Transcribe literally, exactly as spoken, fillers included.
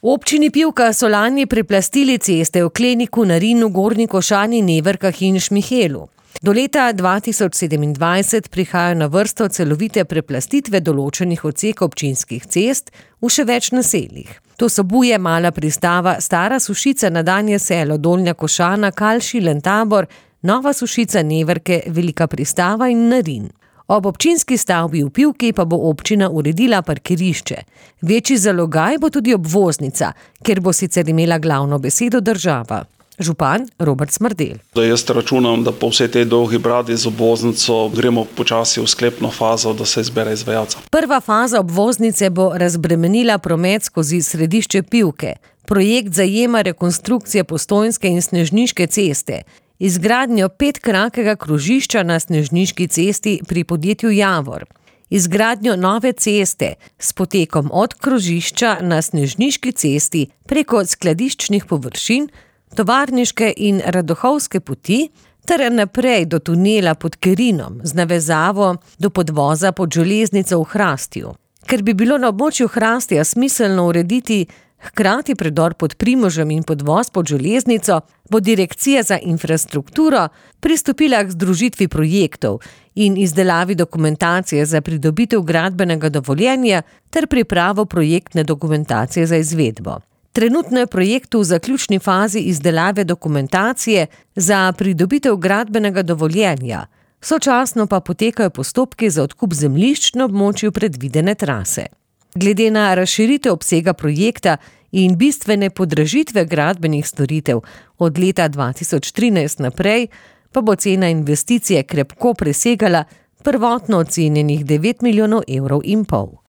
V občini Pivka so lani preplastili ceste v Kleniku, Narinu, Gornji Košani, Neverkah in Šmihelu. Do leta dva tisoč sedemindvajset prihajajo na vrsto celovite preplastitve določenih odsekov občinskih cest v še več naseljih. To so Buje, Mala Pristava, Stara Sušica, Nadanje Selo, Dolnja Košana, Kalši, Lentabor, Nova Sušica, Neverke, Velika Pristava in Narin. Ob občinski stavbi v Pivki pa bo občina uredila parkirišče. Večji zalogaj bo tudi obvoznica, kjer bo sicer imela glavno besedo država. Župan Robert Smrdelj. Da jaz računam, da po vsej tej dolgi bradi z obvoznico gremo počasi v sklepno fazo, da se izbere izvajalca. Prva faza obvoznice bo razbremenila promet skozi središče Pivke. Projekt zajema rekonstrukcije Postojnske in Snežniške ceste, izgradnjo petkrakega krožišča na Snežniški cesti pri podjetju Javor, izgradnjo nove ceste s potekom od krožišča na Snežniški cesti preko skladiščnih površin, tovarniške in radohovske poti ter naprej do tunela pod Kerinom z navezavo do podvoza pod železnico v Hrastju. Ker bi bilo na območju Hrastja smiselno urediti hkrati predor pod Primožem in podvoz pod železnico, bo Direkcija za infrastrukturo pristopila k združitvi projektov in izdelavi dokumentacije za pridobitev gradbenega dovoljenja ter pripravo projektne dokumentacije za izvedbo. Trenutno je projekt v zaključni fazi izdelave dokumentacije za pridobitev gradbenega dovoljenja, sočasno pa potekajo postopki za odkup zemljišč na območju predvidene trase. Glede na razširitev obsega projekta in bistvene podražitve gradbenih storitev od leta dva tisoč trinajst naprej, pa bo cena investicije krepko presegala prvotno ocenjenih devet milijonov evrov in pol.